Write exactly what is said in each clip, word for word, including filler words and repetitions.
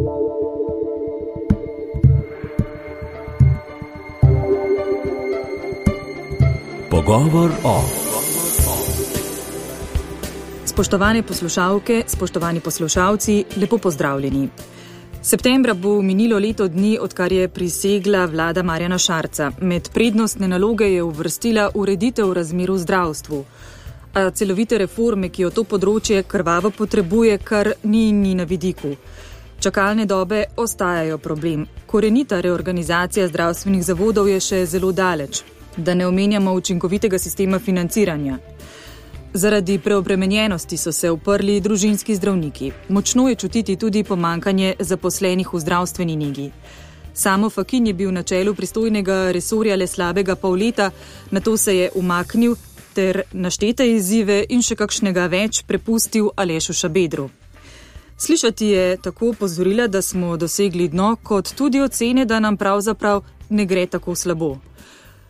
Pogovor o. Spoštovane poslušalke, spoštovani poslušalci, lepo pozdravljeni. Septembra bo minilo leto dni, odkar je prisegla vlada Marjana Šarca. Med prednostne naloge je uvrstila ureditev razmer v zdravstvu. A celovite reforme, ki jo to področje krvavo potrebuje, kar ni in ni na vidiku. Čakalne dobe ostajajo problem. Korenita reorganizacija zdravstvenih zavodov je še zelo daleč. Da ne omenjamo učinkovitega sistema financiranja. Zaradi preobremenjenosti so se uprli družinski zdravniki. Močno je čutiti tudi pomankanje zaposlenih v zdravstveni negi. Samo Fakin je bil na čelu pristojnega resorja le slabega pol leta, nato se je umaknil ter naštete izzive in še kakšnega več prepustil Alešu Šabedru. Slišati je tako opozorila, da smo dosegli dno, kot tudi ocene, da nam pravzaprav ne gre tako slabo.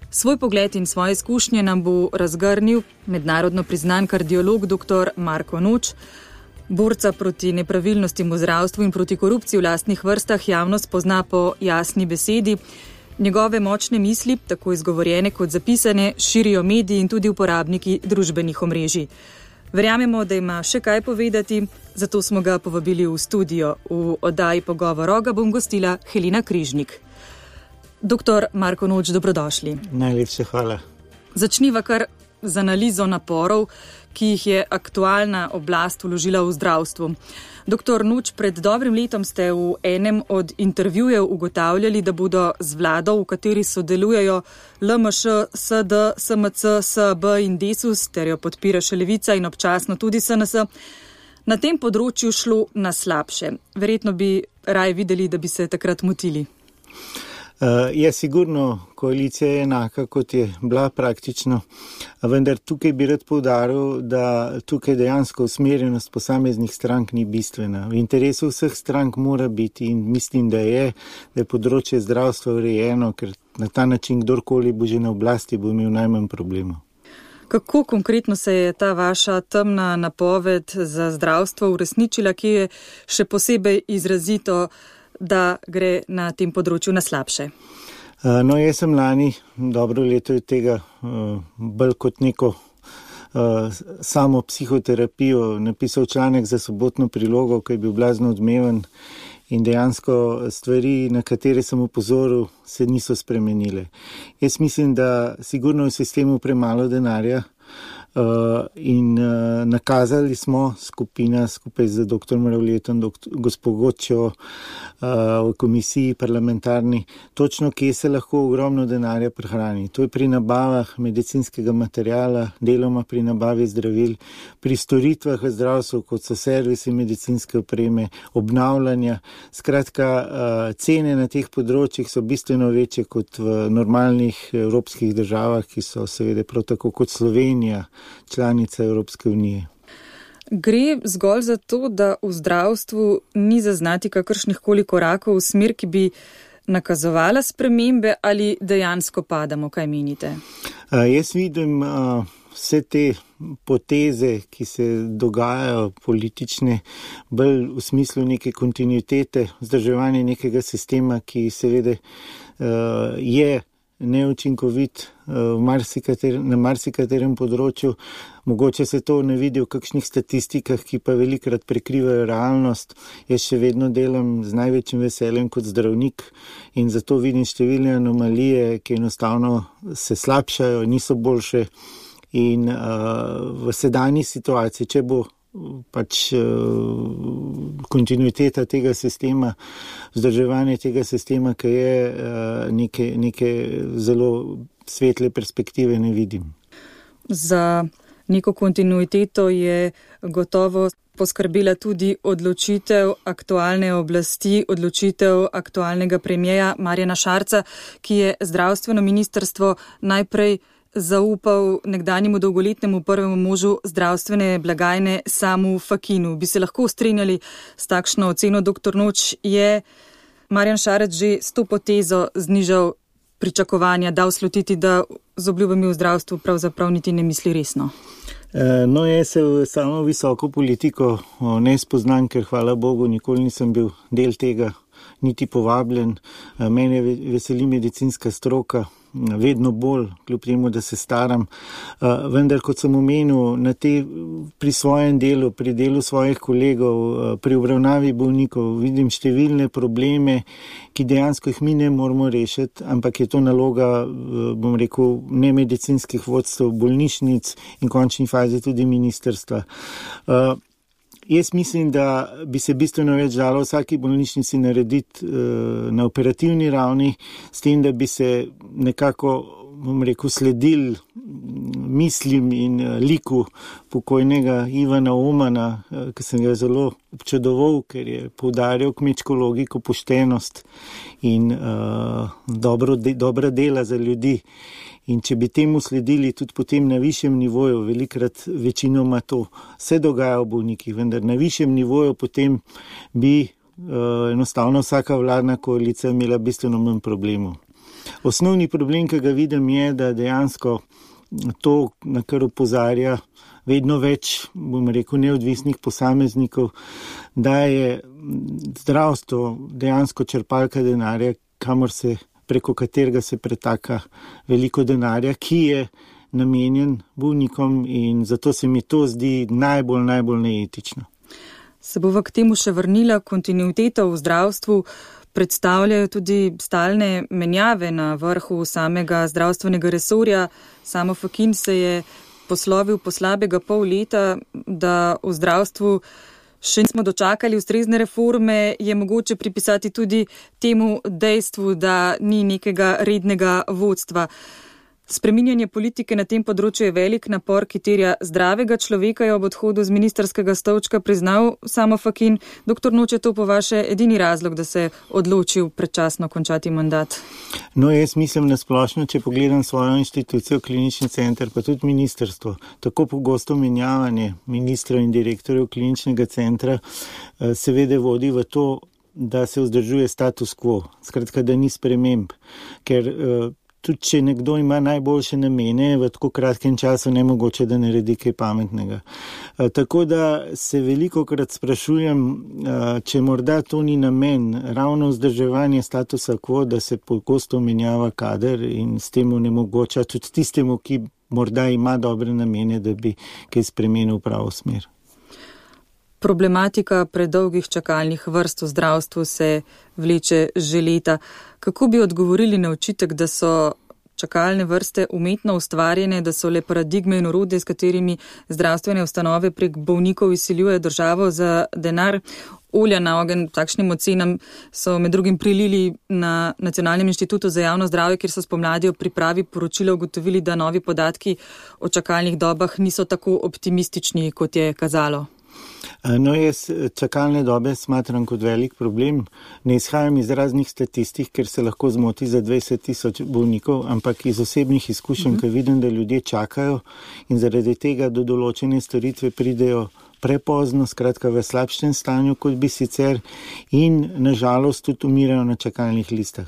Svoj pogled in svoje izkušnje nam bo razgrnil mednarodno priznan kardiolog dr. Marko Noč. Borca proti nepravilnostim v zdravstvu in proti korupciji v lastnih vrstah javnost pozna po jasni besedi. Njegove močne misli, tako izgovorjene kot zapisane, širijo mediji in tudi uporabniki družbenih omrežij. Verjamemo, da ima še kaj povedati, zato smo ga povabili v studio. V oddaji Pogovor ga bom gostila Helena Križnik. Doktor Marko Noč, dobrodošli. Najlepša hvala. Začniva kar z analizo naporov, ki jih je aktualna oblast vložila v zdravstvu. Doktor Noč, pred dobrim letom ste v enem od intervjujev ugotavljali, da bodo z vlado, v kateri sodelujejo L M Š, S D, S M C, S B in Desus, ter jo podpira še Levica in občasno tudi S N S, na tem področju šlo na slabše. Verjetno bi raje videli, da bi se takrat motili. Uh, je sigurno, koalicija je enaka, kot je bila praktično, vendar tukaj bi rad poudaril, da tukaj dejansko usmerjenost posameznih strank ni bistvena. V interesu vseh strank mora biti in mislim, da je, da je področje zdravstva urejeno, ker na ta način kdorkoli bo že na oblasti, bo imel najmanj problemov. Kako konkretno se je ta vaša temna napoved za zdravstvo uresničila, ki je še posebej izrazito, da gre na tem področju na slabše? No, jaz sem lani, dobro leto je tega, bolj kot neko samo psihoterapijo, napisal članek za sobotno prilogo, ki je bil blazno odmeven in dejansko stvari, na katere sem opozoril, se niso spremenile. Jaz mislim, da sigurno v sistemu premalo denarja, Uh, in uh, nakazali smo skupina skupaj z dr. Mravljetom, gospod Gočjo uh, v komisiji parlamentarni, točno kje se lahko ogromno denarja prihrani. To je pri nabavah medicinskega materijala, deloma pri nabavi zdravil, pri storitvah v zdravstvu, kot so servisi medicinske opreme, obnavljanja. Skratka, uh, cene na teh področjih so bistveno večje kot v normalnih evropskih državah, ki so seveda prav tako kot Slovenija, članica Evropske unije. Gre zgolj za to, da v zdravstvu ni zaznati kakršnih koli korakov v smer, ki bi nakazovala spremembe, ali dejansko padamo, kaj menite? Uh, jaz vidim uh, vse te poteze, ki se dogajajo politične, bolj v smislu neke kontinuitete, vzdrževanje nekega sistema, ki seveda uh, je neučinkovit uh, marsikater, na marsikaterem področju. Mogoče se to ne vidi v kakšnih statistikah, ki pa velikrat prekrivajo realnost. Jaz še vedno delam z največjim veseljem kot zdravnik in zato vidim številne anomalije, ki enostavno se slabšajo, niso boljše. In uh, v sedanji situaciji, če bo pač uh, kontinuiteta tega sistema, vzdrževanje tega sistema, ki je uh, neke, neke zelo svetle perspektive, ne vidim. Za neko kontinuiteto je gotovo poskrbela tudi odločitev aktualne oblasti, odločitev aktualnega premierja Marjana Šarca, ki je zdravstveno ministrstvo najprej zaupal nekdanjemu dolgoletnemu prvemu možu zdravstvene blagajne Samu Fakinu. Bi se lahko strinjali s takšno oceno, doktor Noč? Je Marjan Šarec že s to potezo znižal pričakovanja dal slutiti, da z obljubami v zdravstvu pravzaprav niti ne misli resno? No, jaz se v samo visoko politiko ne spoznam, ker hvala Bogu nikoli nisem bil del tega, niti povabljen. Mene veseli medicinska stroka, vedno bolj, kljub temu, da se staram. Vendar, kot sem omenil, na te, pri svojem delu, pri delu svojih kolegov, pri obravnavi bolnikov, vidim številne probleme, ki dejansko jih mi ne moramo rešiti, ampak je to naloga, bom rekel, ne medicinskih vodstev, bolnišnic in v končni fazi tudi ministrstva. Jaz mislim, da bi se bistveno več dalo vsaki bolnišnici narediti uh, na operativni ravni, s tem, da bi se nekako, bom rekel, sledil mislim in uh, liku pokojnega Ivana Omana, uh, ki sem ga zelo občudoval, ker je poudarjal kmečko logiko, poštenost in uh, dobro de, dobra dela za ljudi. In če bi temu sledili tudi potem na višjem nivoju, velikrat večinoma to se dogaja v bolnikih, vendar na višjem nivoju potem bi uh, enostavno vsaka vladna koalicija imela bistveno manj problemov. Osnovni problem, ki ga vidim, je, da dejansko to, na kar opozarja vedno več, bom rekel, neodvisnih posameznikov, da je zdravstvo dejansko črpalka denarja, kamor se preko katerega se pretaka veliko denarja, ki je namenjen bolnikom in zato se mi to zdi najbolj, najbolj neetično. Se bova k temu še vrnila. Kontinuiteta v zdravstvu predstavljajo tudi stalne menjave na vrhu samega zdravstvenega resorja. Samo Fakin se je poslovil po slabega pol leta, da v zdravstvu še nismo dočakali ustrezne reforme, je mogoče pripisati tudi temu dejstvu, da ni nekega rednega vodstva. Spreminjanje politike na tem področju je velik napor, ki terja zdravega človeka, je ob odhodu z ministrskega stolčka priznal Samo Fakin. Doktor Noč, je to po vaše edini razlog, da se je odločil predčasno končati mandat? No, jaz mislim na splošno, če pogledam svojo inštitucijo, klinični center, pa tudi ministrstvo, tako pogosto menjavanje ministrov in direktorjev kliničnega centra seveda vodi v to, da se vzdržuje status quo, skratka, da ni sprememb, ker tudi če nekdo ima najboljše namene, v tako kratkem času nemogoče, da naredi kaj pametnega. E, tako da se velikokrat sprašujem, e, če morda to ni namen, ravno vzdrževanje statusa quo, da se pogosto menjava kader in s tem onemogoča tudi tistemu, ki morda ima dobre namene, da bi kaj spremenil v pravo smer. Problematika predolgih čakalnih vrst v zdravstvu se vleče že leta. Kako bi odgovorili na očitek, da so čakalne vrste umetno ustvarjene, da so le paradigme in orodje, s katerimi zdravstvene ustanove prek bolnikov izsiljujejo državo za denar? Olja na ogenj takšnim ocenam so med drugim prilili na Nacionalnem inštitutu za javno zdravje, kjer so spomladi o pripravi poročila ugotovili, da novi podatki o čakalnih dobah niso tako optimistični, kot je kazalo. No, jaz čakalne dobe smatram kot velik problem. Ne izhajam iz raznih statistik, ker se lahko zmoti za dvajset tisoč bolnikov, ampak iz osebnih izkušenj, ker vidim, da ljudje čakajo in zaradi tega do določene storitve pridejo prepozno, skratka v slabšem stanju, kot bi sicer, in nažalost tudi umirajo na čakalnih listah.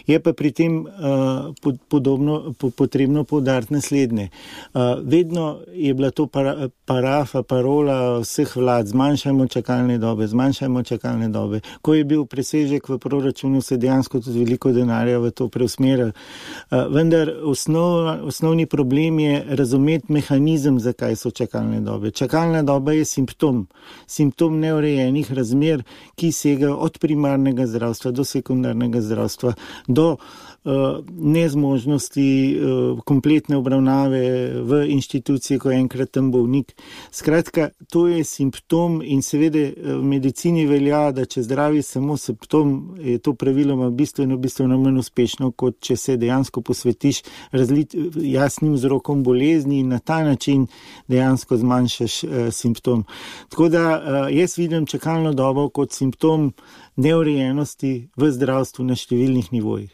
Je pa pri tem uh, podobno, po, potrebno poudariti naslednje. Uh, vedno je bila to para, parafa, parola vseh vlad, zmanjšajmo čakalne dobe, zmanjšajmo čakalne dobe. Ko je bil presežek v proračunu, se dejansko tudi veliko denarja v to preusmeril. Uh, vendar osnov, osnovni problem je razumeti mehanizem, zakaj so čakalne dobe. Čakalna doba je simptom, simptom neurejenih razmer, ki segajo od primarnega zdravstva do sekundarnega zdravstva, do uh, nezmožnosti uh, kompletne obravnave v inštituciji, ko je enkrat tam bolnik. Skratka, to je simptom in seveda v medicini velja, da če zdravi samo simptom, je to praviloma bistveno, bistveno manj uspešno, kot če se dejansko posvetiš razlit, jasnim vzrokom bolezni in na ta način dejansko zmanjšaš uh, simptom. Tako da uh, jaz vidim čakalno dobo kot simptom neurejenosti v zdravstvu na številnih nivojih.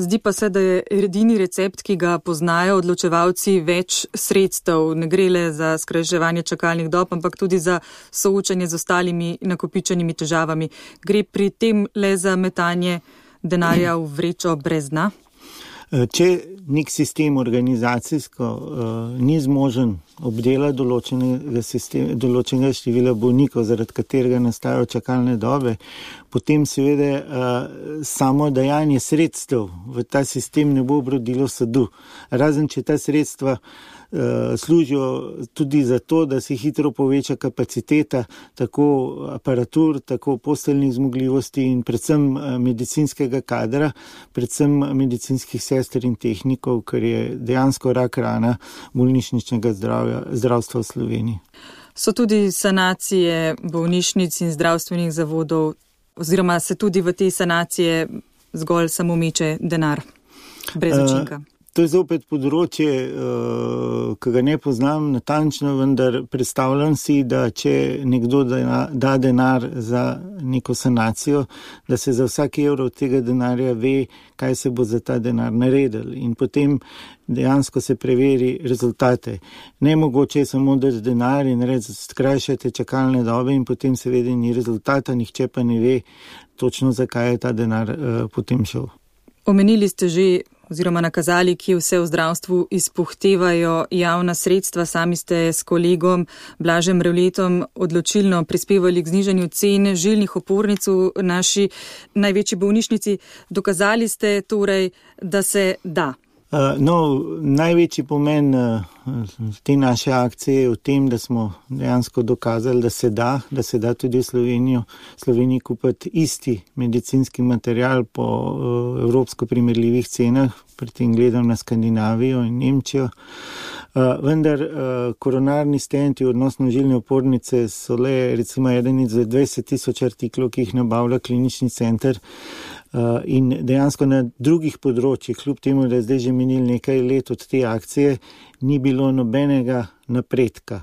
Zdi pa se, da je edini recept, ki ga poznajo odločevalci, več sredstev. Ne gre le za skrajševanje čakalnih dob, ampak tudi za soočanje z ostalimi nakopičenimi težavami. Gre pri tem le za metanje denarja v vrečo brez dna? Če nek sistem organizacijsko uh, ni zmožen obdelati določenega, sistema, določenega števila bolnikov, zaradi katerega nastajajo čakalne dobe, potem seveda uh, samo dajanje sredstev v ta sistem ne bo obrodilo sadu. Razen če ta sredstva uh, služijo tudi za to, da se hitro poveča kapaciteta tako aparatur, tako posteljnih zmogljivosti in predvsem uh, medicinskega kadra, predvsem medicinskih sester in tehnikov, kar je dejansko rak rana bolnišničnega zdravja, zdravstva v Sloveniji. So tudi sanacije bolnišnic in zdravstvenih zavodov, oziroma se tudi v te sanacije zgolj samo meče denar brez učinka? Uh, To je zopet področje, ki ga ne poznam natančno, vendar predstavljam si, da če nekdo da denar za neko sanacijo, da se za vsak evro od tega denarja ve, kaj se bo za ta denar naredil in potem dejansko se preveri rezultate. Nemogoče je samo dati denar in reči, skrajšajte čakalne dobe in potem seveda ni rezultata, nihče pa ne ve točno, zakaj je ta denar uh, potem šel. Omenili ste že oziroma nakazali, ki vse v zdravstvu izpuhtevajo javna sredstva. Sami ste s kolegom Blažem Revletom odločilno prispevali k znižanju cen žilnih opornic v naši največji bolnišnici. Dokazali ste torej, da se da. No, največji pomen te naše akcije je v tem, da smo dejansko dokazali, da se da, da se da tudi v Slovenijo, Sloveniji kupiti isti medicinski material po evropsko primerljivih cenah, pri tem gledam na Skandinavijo in Nemčijo. Vendar koronarni stenti, odnosno žilne opornice, so le recimo eden izmed dvajset tisoč artiklov, ki jih nabavlja klinični center. Uh, in dejansko na drugih področjih, kljub temu, da je zdaj že minil nekaj let od te akcije, ni bilo nobenega napredka.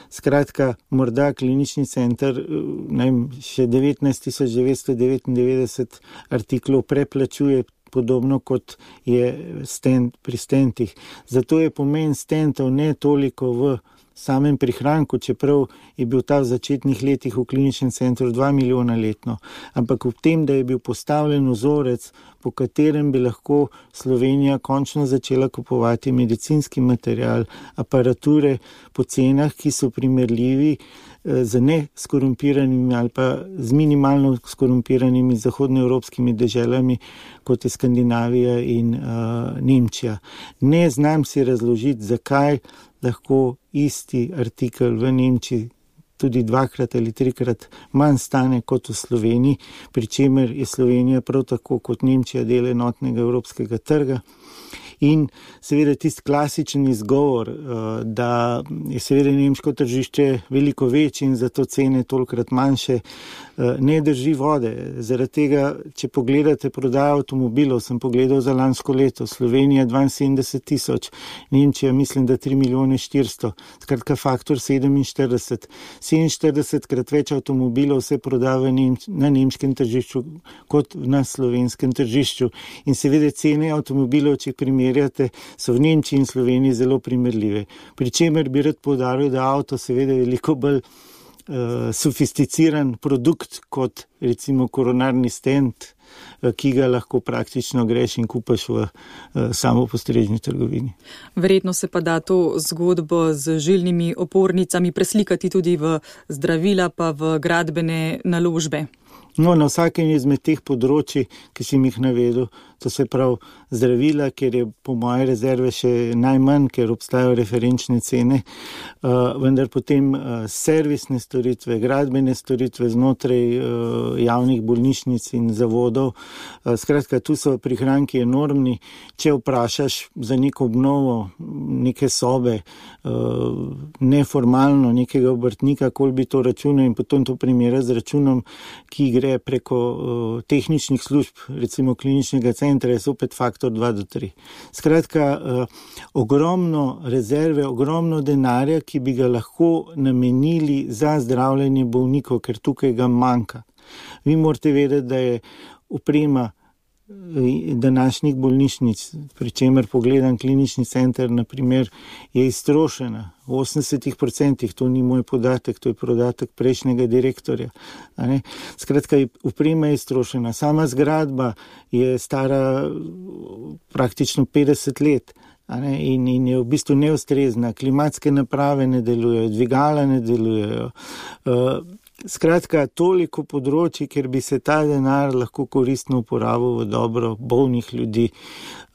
Skratka, morda klinični center ne vem, še devetnajst tisoč devetsto devetindevetdeset artiklov preplačuje, podobno kot je stent pri stentih. Zato je pomen stentov ne toliko v samem prihranku, čeprav je bil ta v začetnih letih v kliničnem centru dva milijona letno, ampak v tem, da je bil postavljen vzorec, po katerem bi lahko Slovenija končno začela kupovati medicinski material, aparature po cenah, ki so primerljivi z neskorumpiranimi ali pa z minimalno skorumpiranimi zahodnoevropskimi deželami, kot je Skandinavija in uh, Nemčija. Ne znam si razložiti, zakaj lahko isti artikel v Nemčiji tudi dvakrat ali trikrat manj stane kot v Sloveniji, pri čemer je Slovenija prav tako kot Nemčija del enotnega evropskega trga. In seveda tisti klasičen izgovor, da je seveda nemško tržišče veliko večje in zato cene tolikrat manjše, ne drži vode. Zaradi tega, če pogledate prodajo avtomobilov, sem pogledal za lansko leto, Slovenija dvainsedemdeset tisoč, Nemčija mislim, da tri milijone štiristo, skratka faktor sedeminštirideset. sedeminštiridesetkrat več avtomobilov se proda v Nemč- na nemškem tržišču kot na slovenskem tržišču. In seveda cene avtomobilov, če primerjate, so v Nemčiji in Sloveniji zelo primerljive. Pri čemer bi rad poudaril, da avto seveda je veliko bolj uh, sofisticiran produkt kot recimo koronarni stent, uh, ki ga lahko praktično greš in kupaš v uh, samopostrežni trgovini. Verjetno se pa da to zgodbo z žilnimi opornicami preslikati tudi v zdravila pa v gradbene naložbe. No, na vsakem izmed teh področji, ki sem jih navedel, to se pravi zdravila, ker je po moje rezerve še najmanj, ker obstajajo referenčne cene, uh, vendar potem uh, servisne storitve, gradbene storitve znotraj uh, javnih bolnišnic in zavodov. Uh, skratka, tu so prihranki enormni. Če vprašaš za neko obnovo neke sobe, uh, neformalno nekega obrtnika, koliko bi to računal in potem to primera z računom, ki gre preko uh, tehničnih služb, recimo kliničnega centra, je opet faktor dva do tri. Skratka, uh, ogromno rezerve, ogromno denarja, ki bi ga lahko namenili za zdravljenje bolnikov, ker tukaj ga manjka. Vi morate vedeti, da je oprema današnjih bolnišnic, pri čemer pogledam klinični center, naprimer, je iztrošena. V osemdesetih odstotkih, to ni moj podatek, to je podatek prejšnjega direktorja. Skratka, oprema je iztrošena. Sama zgradba je stara praktično petdeset let. In, in je v bistvu neustrezna, klimatske naprave ne delujejo, dvigala ne delujejo. Skratka, toliko področji, kjer bi se ta denar lahko koristno uporabil v dobro bolnih ljudi,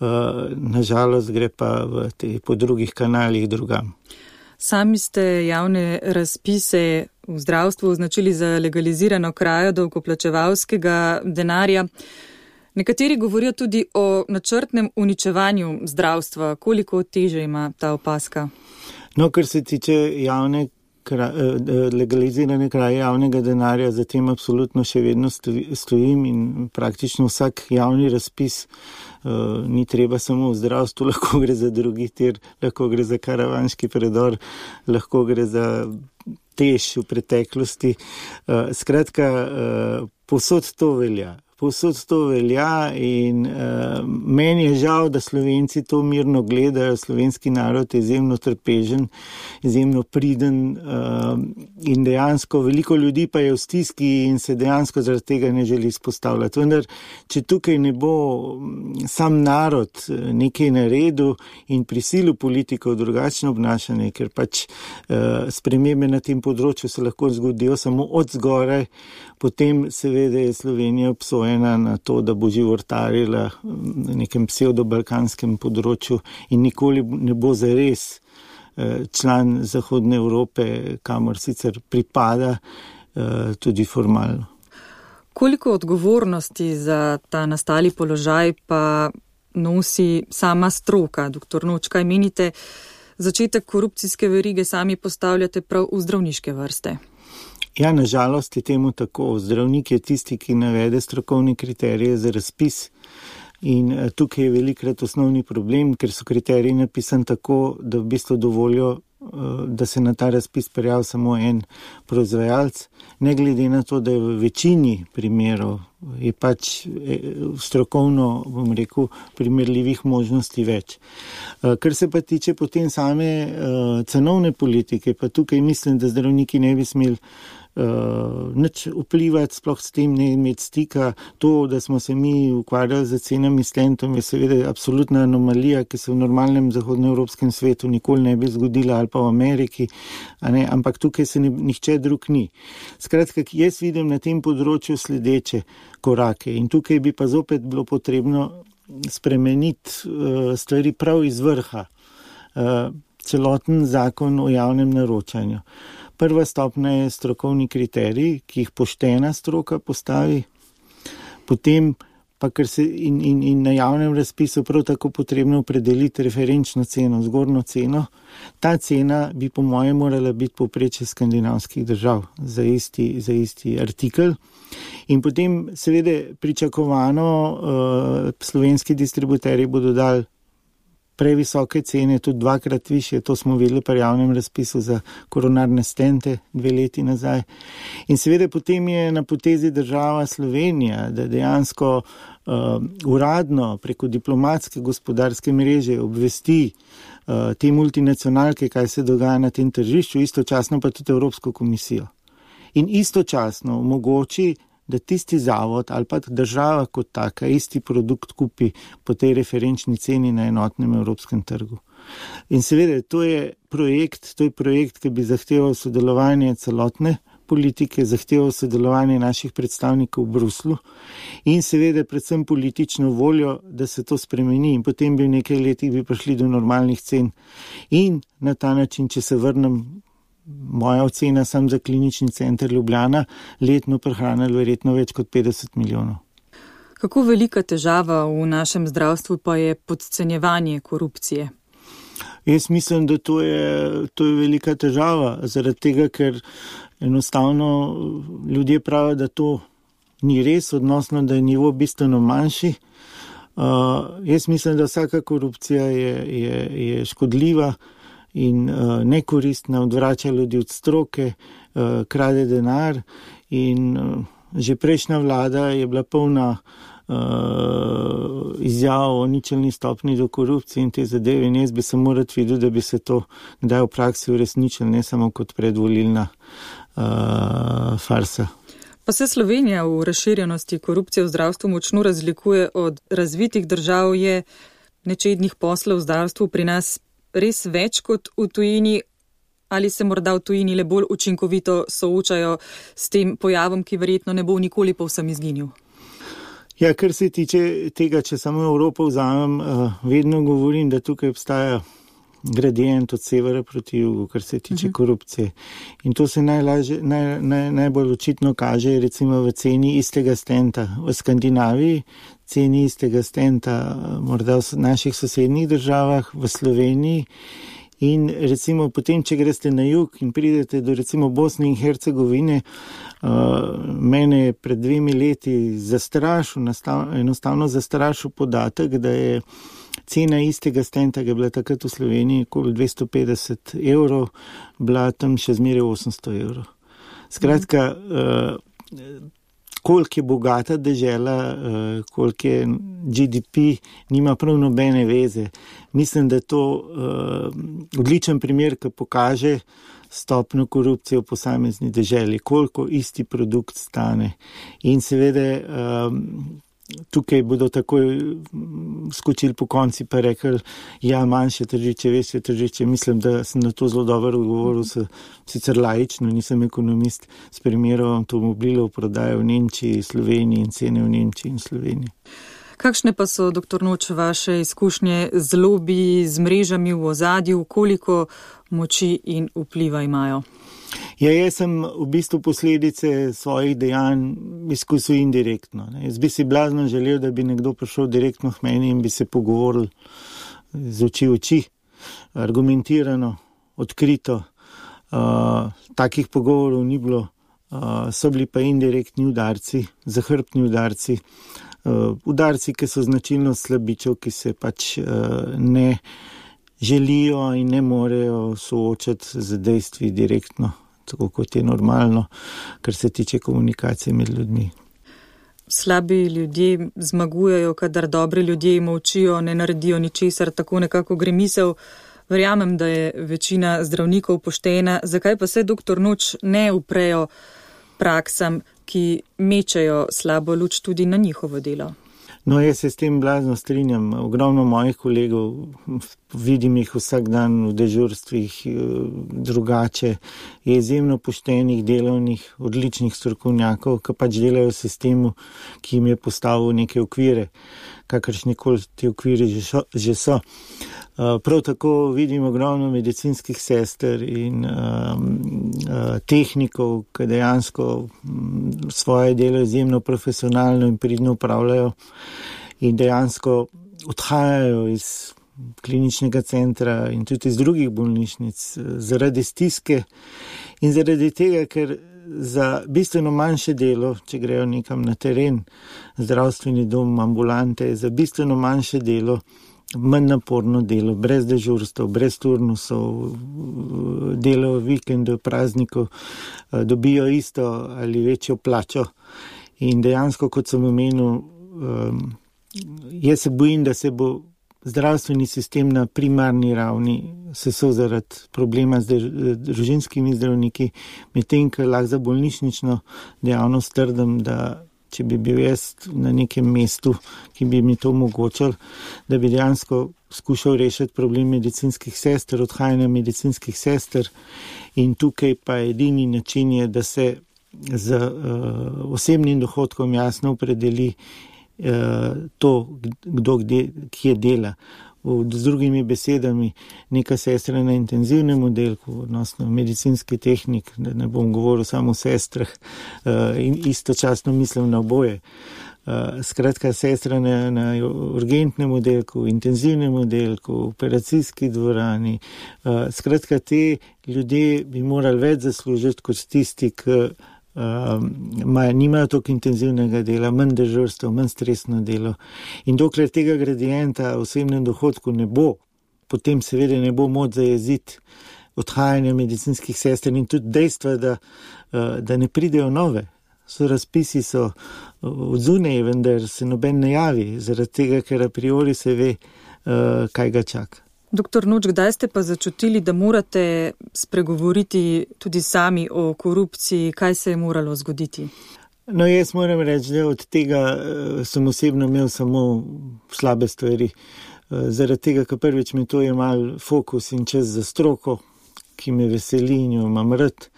nažalost gre pa v te, po drugih kanalih drugam. Sami ste javne razpise v zdravstvu označili za legalizirano krajo davkoplačevalskega denarja. Nekateri govorijo tudi o načrtnem uničevanju zdravstva. Koliko teže ima ta opaska? No, kar se tiče javne, legalizirane kraje javnega denarja, za tem absolutno še vedno stojim in praktično vsak javni razpis, uh, ni treba samo v zdravstvu, lahko gre za drugi tir, lahko gre za karavanški predor, lahko gre za tež v preteklosti. Uh, skratka, uh, povsod to velja. Povsod to velja in uh, meni je žal, da Slovenci to mirno gledajo. Slovenski narod je izjemno trpežen, izjemno priden uh, in dejansko veliko ljudi pa je v stiski in se dejansko zaradi tega ne želi izpostavljati. Vendar, če tukaj ne bo sam narod nekaj naredil in prisilil politikov drugačno obnašanje, ker pač uh, spremembe na tem področju se lahko zgodijo samo od zgoraj, potem seveda je Slovenija obsojena na to, da bo životarila na nekem pseudo-balkanskem področju in nikoli ne bo zares član Zahodne Evrope, kamor sicer pripada tudi formalno. Koliko odgovornosti za ta nastali položaj pa nosi sama stroka? Doktor Noč, kaj menite, začetek korupcijske verige sami postavljate prav v zdravniške vrste? Ja, nažalost je temu tako. Zdravnik je tisti, ki navede strokovne kriterije za razpis in tukaj je velikrat osnovni problem, ker so kriteriji napisani tako, da v bistvu dovolijo, da se na ta razpis prijavi samo en proizvajalec, ne glede na to, da je v večini primerov je pač strokovno, bom rekel, primerljivih možnosti več. Kar se pa tiče potem same cenovne politike, pa tukaj mislim, da zdravniki ne bi smeli Uh, nič vplivati, sploh s tem ne imeti stika. To, da smo se mi ukvarjali z cenami stentom, je seveda absolutna anomalija, ki se v normalnem zahodnoevropskem svetu nikoli ne bi zgodila, ali pa v Ameriki, a ne? Ampak tukaj se ne, nihče drug ni. Skratka, jaz vidim na tem področju sledeče korake in tukaj bi pa zopet bilo potrebno spremeniti uh, stvari prav iz vrha. Uh, celoten zakon o javnem naročanju. Prva stopnja je strokovni kriterij, ki jih poštena stroka postavi, potem pa ker se in, in, in na javnem razpisu prav tako potrebno opredeliti referenčno ceno, zgornjo ceno. Ta cena bi po mojem morala biti povprečje skandinavskih držav za isti, za isti artikel. In potem seveda pričakovano uh, slovenski distributerji bodo dali previsoke cene, tudi dvakrat više, to smo videli pri javnem razpisu za koronarne stente dve leti nazaj. In seveda potem je na potezi država Slovenija, da dejansko uh, uradno preko diplomatske gospodarske mreže obvesti uh, te multinacionalke, kaj se dogaja na tem tržišču, istočasno pa tudi Evropsko komisijo. In istočasno omogoči, da tisti zavod ali pa država kot taka isti produkt kupi po tej referenčni ceni na enotnem evropskem trgu. In seveda, to je projekt, to je projekt, ki bi zahteval sodelovanje celotne politike, zahteval sodelovanje naših predstavnikov v Bruslu in seveda predvsem politično voljo, da se to spremeni in potem bi v nekaj letih bi prišli do normalnih cen. In na ta način, če se vrnem, moja ocena sam za klinični center Ljubljana, letno prehranili verjetno več kot petdeset milijonov. Kako velika težava v našem zdravstvu pa je podcenjevanje korupcije? Jaz mislim, da to je, to je velika težava, zaradi tega, ker enostavno ljudje pravijo, da to ni res, odnosno, da je nivo bistveno manjši. Uh, jaz mislim, da vsaka korupcija je, je, je škodljiva in uh, nekoristna, odvrača ljudi od stroke, uh, krade denar in uh, že prejšnja vlada je bila polna uh, izjavo o ničelni stopni do korupcije in te zadeve. In jaz bi se moral videti, da bi se to kdaj v praksi uresničilo, ne samo kot predvolilna uh, farsa. Pa se Slovenija v razširjenosti korupcije v zdravstvu močno razlikuje od razvitih držav, je nečednih poslov v zdravstvu pri nas res več kot v tujini, ali se morda v tujini le bolj učinkovito soočajo s tem pojavom, ki verjetno ne bo nikoli povsem izginil? Ja, kar se tiče tega, če samo Evropo vzamem, vedno govorim, da tukaj obstaja gradient od severa proti jugu, kar se tiče uh-huh. korupcije. In to se najlažje, naj, naj, najbolj očitno kaže recimo v ceni istega stenta. V Skandinaviji ceni istega stenta, morda v naših sosednjih državah, v Sloveniji. In recimo potem, če greste na jug in pridete do recimo Bosne in Hercegovine, uh, mene je pred dvemi leti zastrašil, nastav, enostavno zastrašil podatek, da je cena istega stenta, ki je bila takrat v Sloveniji okoli dvesto petdeset evrov, bila tam še zmeraj osemsto evrov. Skratka, uh, koliko je bogata dežela, uh, koliko je G D P, nima prav nobene veze. Mislim, da je to uh, odličen primer, ki pokaže stopnjo korupcije v posamezni deželi, koliko isti produkt stane. In seveda um, tukaj bodo takoj skočili po konci pa rekli, ja, manjše tržiče, večje tržiče. Mislim, da sem na to zelo dobro odgovoril, se, sicer laično, nisem ekonomist, s primerom avtomobilov prodaje v Nemčiji, Sloveniji in cene v Nemčiji in Sloveniji. Kakšne pa so, doktor Noč, vaše izkušnje z lobiji, z mrežami v ozadju, koliko moči in vpliva imajo? Ja, jaz sem v bistvu posledice svojih dejanj izkusil indirektno. Ne. Jaz bi si blazno želel, da bi nekdo prišel direktno k meni in bi se pogovoril z oči v oči, argumentirano, odkrito. Uh, takih pogovorov ni bilo, uh, so bili pa indirektni udarci, zahrbtni udarci, uh, udarci, ki so značilnost slabičev, ki se pač uh, ne želijo in ne morejo soočati z dejstvi direktno, tako kot je normalno, kar se tiče komunikacije med ljudmi. Slabi ljudje zmagujejo, kadar dobri ljudje molčijo, ne naredijo ničesar, tako nekako gre misel. Verjamem, da je večina zdravnikov poštena, zakaj pa se, doktor Noč, ne uprejo praksam, ki mečejo slabo luč tudi na njihovo delo? No, jaz se s tem blazno strinjam. Ogromno mojih kolegov, vidim jih vsak dan v dežurstvih drugače, je izjemno poštenih, delovnih, odličnih strokovnjakov, ki pač delajo v sistemu, ki jim je postavil neke okvire, kakršnikoli ti okviri že so. Prav tako vidim ogromno medicinskih sester in um, uh, tehnikov, ki dejansko um, svoje delo izjemno profesionalno in pridno upravljajo in dejansko odhajajo iz kliničnega centra in tudi iz drugih bolnišnic zaradi stiske in zaradi tega, ker za bistveno manjše delo, če grejo nekam na teren, zdravstveni dom, ambulante, za bistveno manjše delo, manj naporno delo, brez dežurstv, brez turnusov, delo vikendov, praznikov, dobijo isto ali večjo plačo. In dejansko, kot sem omenil, jaz se bojim, da se bo zdravstveni sistem na primarni ravni sesul zaradi problema z družinskimi zdravniki, medtem ko lahko za bolnišnično dejavnost trdim, da če bi bil jaz na nekem mestu, ki bi mi to omogočal, da bi dejansko skušal rešiti problem medicinskih sester, odhajanja medicinskih sester in tukaj pa edini način je, da se z uh, osebnim dohodkom jasno opredeli uh, to, kdo kde, kje dela. Z drugimi besedami, neka sestra na intenzivnem oddelku, odnosno medicinski tehnik, da ne bom govoril samo o sestrah, in istočasno mislim na oboje. Skratka, sestra na, na urgentnem oddelku, intenzivnem oddelku, operacijski dvorani. Skratka, te ljudje bi morali več zaslužiti kot tisti, ki Um, nimajo toliko intenzivnega dela, manj dežurstev, manj stresno delo. In dokler tega gradienta v osebnem dohodku ne bo, potem seveda ne bo moč zajeziti odhajanja medicinskih sester in tudi dejstva, da, uh, da ne pridejo nove. so razpisi so odzunaj, vendar se noben ne javi, zaradi tega, ker a priori se ve, uh, kaj ga čaka. Doktor Noč, kdaj ste pa začutili, da morate spregovoriti tudi sami o korupciji, kaj se je moralo zgoditi? No, jaz moram reči, da od tega uh, sem osebno imel samo slabe stvari. Uh, zaradi tega, ker prvič mi to je mal fokus in čas za stroko, ki me veseli in jo imam rad.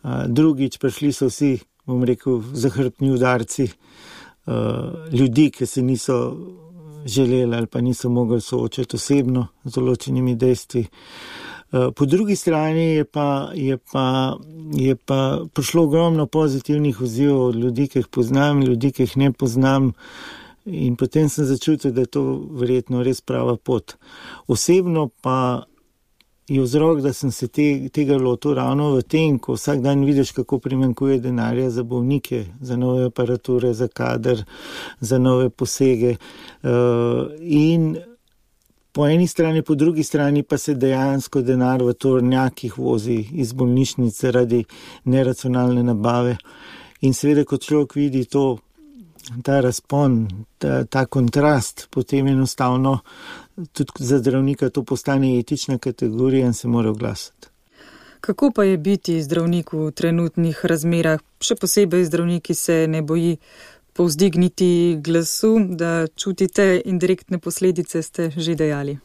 Uh, drugič, prišli so vsi, bom rekel, zahrbtni udarci uh, ljudi, ki se niso želeli ali pa niso mogli soočati osebno z določenimi dejstvi. Po drugi strani je pa, je pa, je pa prišlo ogromno pozitivnih odzivov od ljudi, ki jih poznam, ljudi, ki jih ne poznam, in potem sem začutil, da je to verjetno res prava pot. Osebno pa je vzrok, da sem se te, tega lotil ravno v tem, ko vsak dan vidiš, kako primanjkuje denarja za bolnike, za nove aparature, za kader, za nove posege. Uh, in po eni strani, po drugi strani pa se dejansko denar v tovornjakih vozi iz bolnišnic zaradi neracionalne nabave. In seveda, kot človek vidi to, ta razpon, ta, ta kontrast, potem enostavno tudi za zdravnika to postane etična kategorija in se mora oglasiti. Kako pa je biti zdravnik v trenutnih razmerah? Še posebej zdravniki se ne boji povzdigniti glasu, da čutite indirektne posledice, ste že dejali.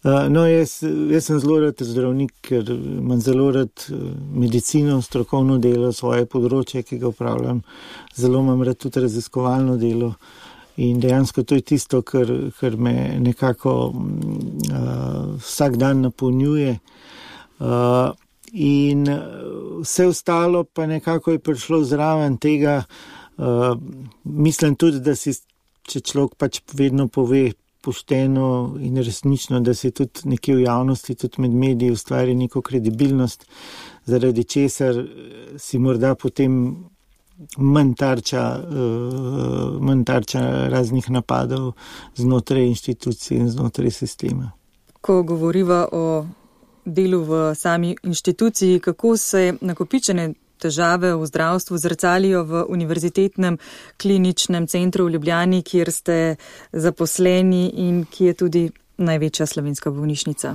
Uh, no, jaz, jaz sem zelo rad zdravnik, ker imam zelo rad medicino, strokovno delo, svoje področje, ki ga upravljam. Zelo imam rad tudi raziskovalno delo in dejansko to je tisto, kar, kar me nekako uh, vsak dan napolnjuje. Uh, in vse ostalo pa nekako je prišlo zraven tega. Uh, mislim tudi, da si, če človek pač vedno pove pošteno in resnično, da se tudi nekje v javnosti, tudi med mediji ustvari neko kredibilnost, zaradi česar si morda potem manj tarča, uh, manj tarča raznih napadov znotraj inštitucij in znotraj sistema. Ko govoriva o delu v sami inštituciji, kako se nakopičene težave v zdravstvu zrcalijo v Univerzitetnem kliničnem centru v Ljubljani, kjer ste zaposleni in ki je tudi največja slovenska bolnišnica.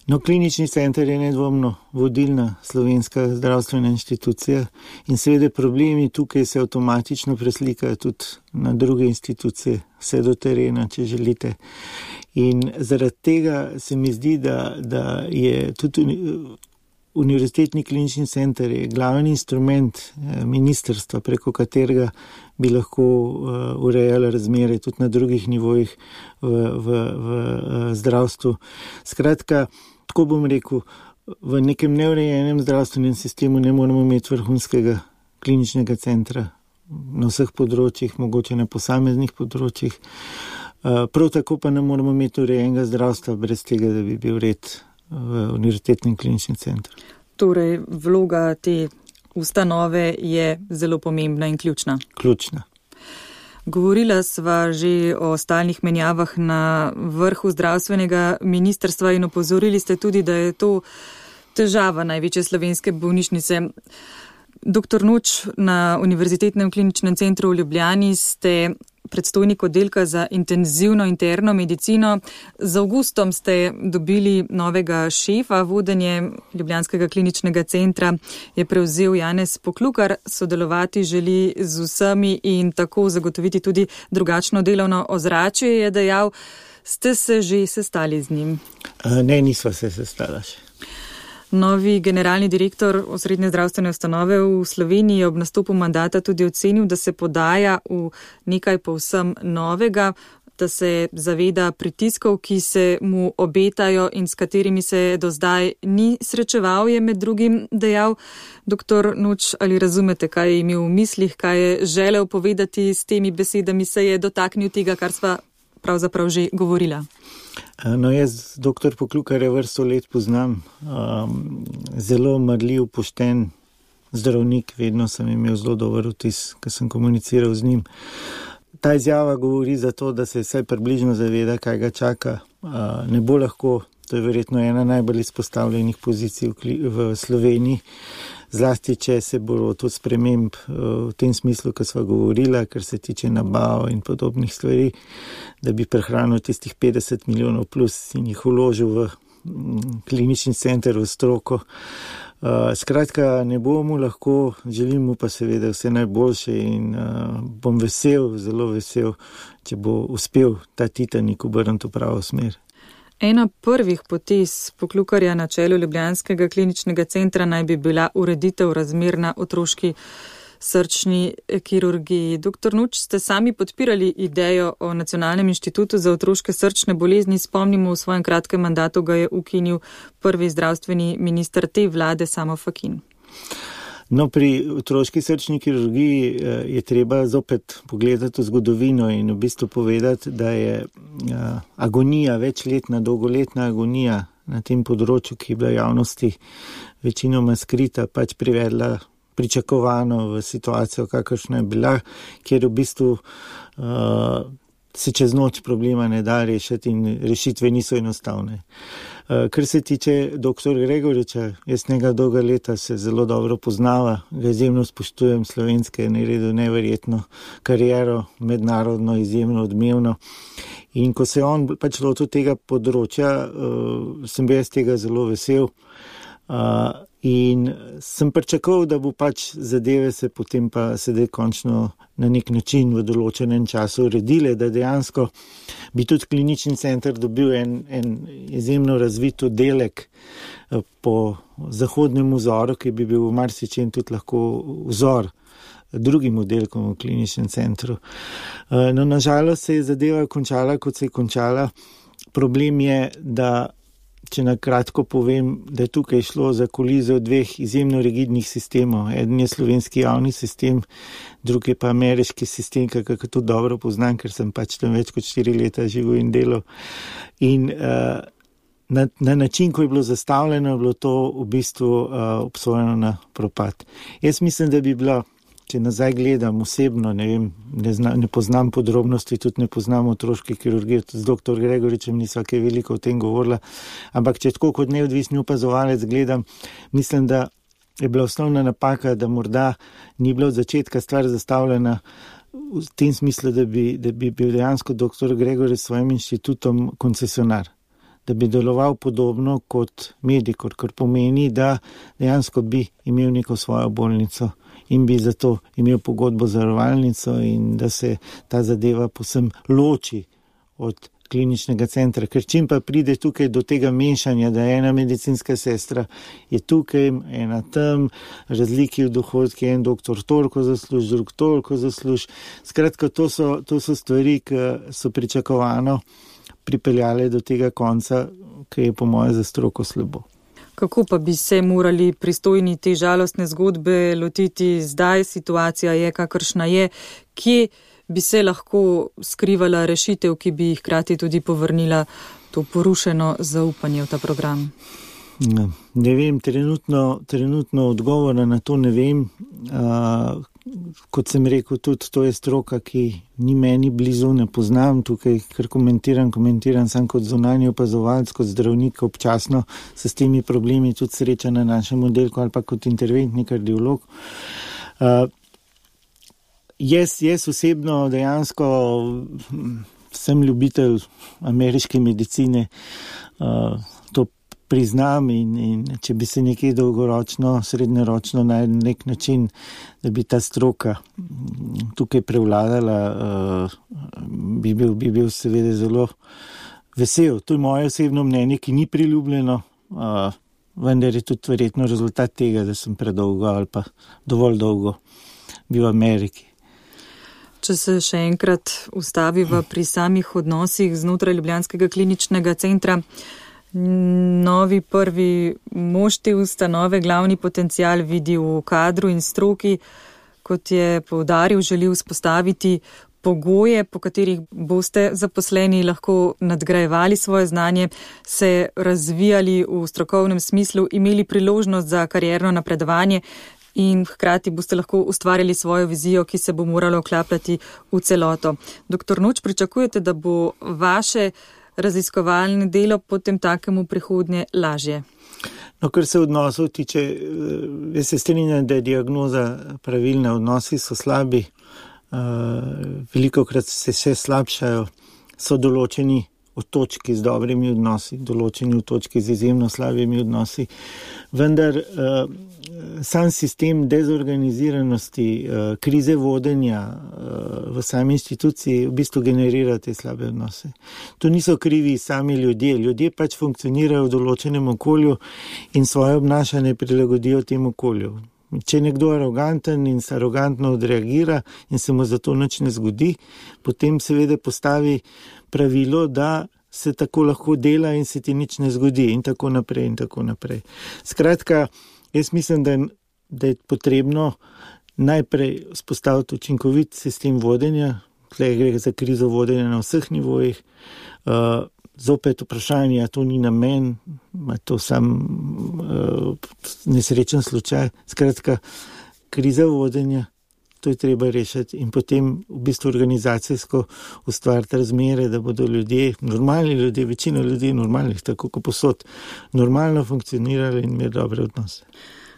No, klinični center je nedvomno vodilna slovenska zdravstvena inštitucija in seveda problemi tukaj se avtomatično preslikajo tudi na druge institucije, vse do terena, če želite. In zaradi tega se mi zdi, da, da je tudi Univerzitetni klinični center je glavni instrument ministrstva, preko katerega bi lahko urejali razmere tudi na drugih nivojih v, v, v zdravstvu. Skratka, tako bom rekel, v nekem neurejenem zdravstvenem sistemu ne moramo imeti vrhunskega kliničnega centra na vseh področjih, mogoče na posameznih področjih. Prav tako pa ne moramo imeti urejenega zdravstva brez tega, da bi bil red v Univerzitetnem kliničnem centru. Torej, vloga te ustanove je zelo pomembna in ključna. Ključna. Govorila sva že o stalnih menjavah na vrhu zdravstvenega ministrstva in opozorili ste tudi, da je to težava največje slovenske bolnišnice. Doktor Noč, na Univerzitetnem kliničnem centru v Ljubljani ste predstojnik oddelka za intenzivno interno medicino. Z avgustom ste dobili novega šefa, vodenje Ljubljanskega kliničnega centra je prevzel Janez Poklukar, sodelovati želi z vsemi in tako zagotoviti tudi drugačno delovno ozračje, je dejal. Ste se že sestali z njim? Ne, nisva se sestala še. Novi generalni direktor osrednje zdravstvene ustanove v Sloveniji je ob nastopu mandata tudi ocenil, da se podaja v nekaj povsem novega, da se zaveda pritiskov, ki se mu obetajo in s katerimi se do zdaj ni srečeval, je med drugim dejal. Doktor Noč, ali razumete, kaj je imel v mislih, kaj je želel povedati s temi besedami, se je dotaknil tega, kar sva pravzaprav že govorila? No, jaz doktor Poklukar je vrsto let poznam, um, zelo marljiv, pošten zdravnik, vedno sem imel zelo dober vtis, ko sem komuniciral z njim. Ta izjava govori za to, da se vsaj približno zaveda, kaj ga čaka. Uh, ne bo lahko, to je verjetno ena najbolj izpostavljenih pozicij v, v Sloveniji. zlasti, če se bo to sprememb v tem smislu, ko sva govorila, kar se tiče nabav in podobnih stvari, da bi prehranil tistih petdeset milijonov plus in jih vložil v klinični center, v stroko. Uh, skratka, ne bomo lahko, želim mu pa seveda vse najboljše in uh, bom vesel, zelo vesel, če bo uspel ta Titanik obrniti v pravo smer. Ena prvih potez Poklukarja na čelu ljubljanskega kliničnega centra naj bi bila ureditev razmer na otroški srčni kirurgiji. Doktor Nuč, ste sami podpirali idejo o Nacionalnem inštitutu za otroške srčne bolezni. Spomnimo, v svojem kratkem mandatu ga je ukinil prvi zdravstveni minister te vlade, Samo Fakin. No, pri otroški srčni kirurgiji je treba zopet pogledati v zgodovino in v bistvu povedati, da je agonija, večletna, dolgoletna agonija na tem področju, ki je bila javnosti večinoma skrita, pač privedla pričakovano v situacijo, kakršna je bila, kjer v bistvu uh, se čez noč problema ne da rešiti in rešitve niso enostavne. Uh, kar se tiče doktor Gregoriča, jaz njega dolga leta se zelo dobro poznava, ga izjemno spoštujem, slovenske je naredil neverjetno kariero, mednarodno izjemno odmevno. In ko se je on pač lotil tega področja, uh, sem bil jaz tega zelo vesel. Uh, in sem pričakoval, da bo pač zadeve se potem pa sedaj končno na nek način v določenem času uredile, da dejansko bi tudi klinični center dobil en, en izjemno razvit oddelek po zahodnem vzoru, ki bi bil v marsičem tudi lahko vzor drugim oddelkom v kliničnem centru. Uh, no, nažalost se je zadeva končala, kot se je končala. Problem je, da če na kratko povem, da je tukaj šlo za kolizijo dveh izjemno rigidnih sistemov. Eden je slovenski javni sistem, drugi pa ameriški sistem, kako to dobro poznam, ker sem pač tam več kot štiri leta živel in delal. In uh, na, na način, ko je bilo zastavljeno, je bilo to v bistvu uh, obsojeno na propad. Jaz mislim, da bi bila, če nazaj gledam osebno, ne vem, ne, zna, ne poznam podrobnosti, tudi ne poznam otroške kirurgije, z doktor Gregoričem nisva kaj veliko o tem govorila, ampak če tako kot neodvisni opazovalec gledam, mislim, da je bila osnovna napaka, da morda ni bila od začetka stvar zastavljena v tem smislu, da bi, da bi bil dejansko doktor Gregorič s svojim inštitutom koncesionar, da bi deloval podobno kot Medikor, kar pomeni, da dejansko bi imel neko svojo bolnico in bi zato imel pogodbo za zavarovalnico in da se ta zadeva povsem loči od kliničnega centra. Ker čim pa pride tukaj do tega mešanja, da ena medicinska sestra je tukaj, ena tam, razliki v dohodki, en doktor toliko zasluž, drug toliko zasluž. Skratka, to so, to so stvari, ki so pričakovano pripeljale do tega konca, ki je po moje za stroko slabo. Kako pa bi se morali pristojni te žalostne zgodbe lotiti zdaj? Situacija je, kakršna je. Kje bi se lahko skrivala rešitev, ki bi hkrati tudi povrnila to porušeno zaupanje v ta program? Ne, ne vem, trenutno, trenutno odgovora na to ne vem. Uh, kot sem rekel, tudi to je stroka, ki ni meni blizu, ne poznam tukaj, ker komentiram, komentiram sam kot zunanji opazovalec, kot zdravnik, občasno se s temi problemi tudi sreča na našem oddelku ali pa kot interventni kardiolog. Uh, jaz, jaz osebno dejansko sem ljubitelj ameriške medicine, uh, to priznam in, in če bi se nekaj dolgoročno, srednjeročno na nek način, da bi ta stroka tukaj prevladala, uh, bi, bil, bi bil seveda zelo vesel. To je moje osebno mnenje, ki ni priljubljeno, uh, vendar je tudi verjetno rezultat tega, da sem predolgo ali pa dovolj dolgo bil v Ameriki. Če se še enkrat ustaviva pri samih odnosih znotraj ljubljanskega kliničnega centra, novi prvi mož te ustanove glavni potencial vidi v kadru in stroki, kot je poudaril, želi vzpostaviti pogoje, po katerih boste zaposleni lahko nadgrajevali svoje znanje, se razvijali v strokovnem smislu, imeli priložnost za karierno napredovanje in hkrati boste lahko ustvarjali svojo vizijo, ki se bo morala vklapljati v celoto. Doktor Nuč, pričakujete, da bo vaše raziskovalne delo potem takemu prihodnje lažje? No, kar se odnosov tiče, jaz se strinjam, da je diagnoza pravilna, odnosi so slabi, velikokrat se še slabšajo, so določeni otočki z dobrimi odnosi, določeni otočki z izjemno slabimi odnosi, vendar sam sistem dezorganiziranosti, krize vodenja v sami inštituciji v bistvu generira te slabe odnose. To niso krivi sami ljudje, ljudje pač funkcionirajo v določenem okolju in svoje obnašanje prilagodijo tem okolju. Če je nekdo aroganten in se arogantno odreagira in se mu zato nič ne zgodi, potem seveda postavi pravilo, da se tako lahko dela in se ti nič ne zgodi in tako naprej in tako naprej. Skratka, jaz mislim, da, da je potrebno najprej spostaviti učinkovit sistem vodenja, tukaj gre za krizo vodenja na vseh nivojih, uh, zopet vprašanje, a to ni namen, a to sam uh, nesrečen slučaj. Skratka, kriza vodenja, to je treba rešiti in potem v bistvu organizacijsko ustvariti razmere, da bodo ljudje, normalni ljudje, večina ljudi normalnih, tako kot posod, normalno funkcionirali in imeli dobre odnose.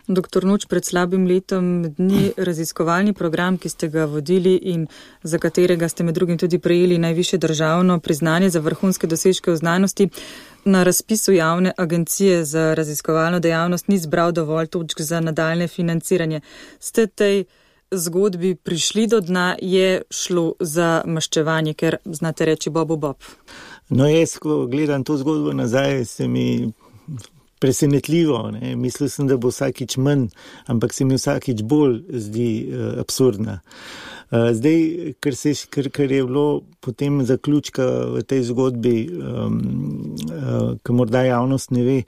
Doktor Noč, pred slabim letom dni raziskovalni program, ki ste ga vodili in za katerega ste med drugim tudi prejeli najvišje državno priznanje za vrhunske dosežke v znanosti, na razpisu javne agencije za raziskovalno dejavnost ni zbral dovolj točk za nadaljne financiranje. Ste tej zgodbi prišli do dna, je šlo za maščevanje, ker znate reči bobu bob? No, jaz, ko gledam to zgodbo nazaj, se mi presenetljivo, ne? Mislil sem, da bo vsakič manj, ampak se mi vsakič bolj zdi uh, absurdna. Uh, zdaj, ker, se, ker, ker je bilo potem zaključka v tej zgodbi, um, uh, ki morda javnost ne ve,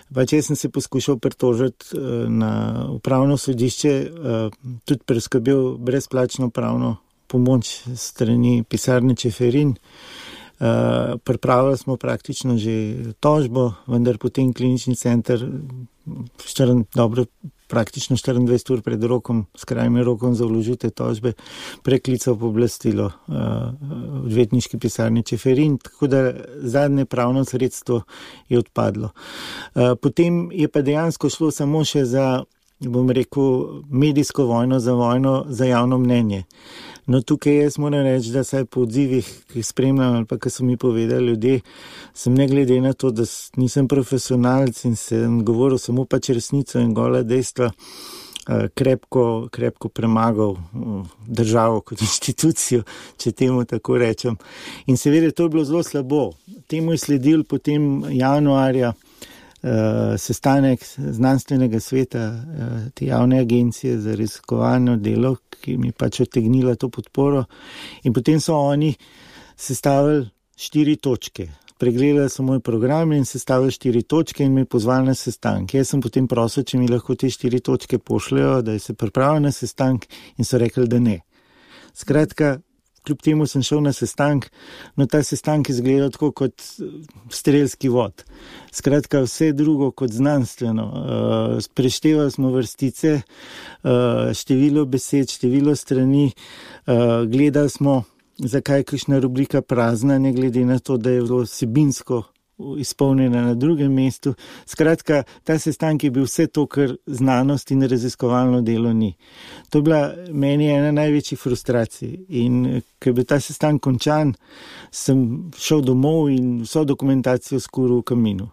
pač jaz sem se poskušal pritožiti uh, na upravno sodišče, uh, tudi preskrbel brezplačno pravno pomoč strani pisarne Čeferin. Uh, pripravili smo praktično že tožbo, vendar potem klinični center štiri, dobro, praktično štiriindvajset ur pred rokom, s krajnim rokom za vložitev tožbe, preklical pooblastilo uh, odvetniški pisarni Čeferin, tako da zadnje pravno sredstvo je odpadlo. Uh, potem je pa dejansko šlo samo še za, bom rekel, medijsko vojno, za vojno za javno mnenje. No, tukaj jaz moram reči, da saj po odzivih, ki jih spremljam ali pa, ki so mi povedali ljudje, sem ne glede na to, da nisem profesionalc in sem govoril samo pač resnico in gola dejstva, krepko, krepko premagal državo kot inštitucijo, če temu tako rečem. In seveda to je bilo zelo slabo. Temu je sledil potem januarja Uh, sestanek znanstvenega sveta, uh, te javne agencije za raziskovalno delo, ki mi pač odtegnila to podporo. In potem so oni sestavili štiri točke. Pregledali so moj program in sestavili štiri točke in me pozvali na sestank. Jaz sem potem prosil, če mi lahko te štiri točke pošljajo, da se pripravijo na sestank in so rekli, da ne. Skratka, kljub temu sem šel na sestank, no ta sestank izgleda tako kot strelski vod. Skratka, vse drugo kot znanstveno. Uh, preštevali smo vrstice, uh, število besed, število strani, uh, gledali smo, zakaj je kakšna rubrika prazna, ne glede na to, da je bilo vsebinsko izpolnjena na drugem mestu. Skratka, ta sestank je bil vse to, kar znanost in raziskovalno delo ni. To je bila meni ena največjih frustracij in ko je bil ta sestank končan, sem šel domov in vso dokumentacijo skuril v kaminu.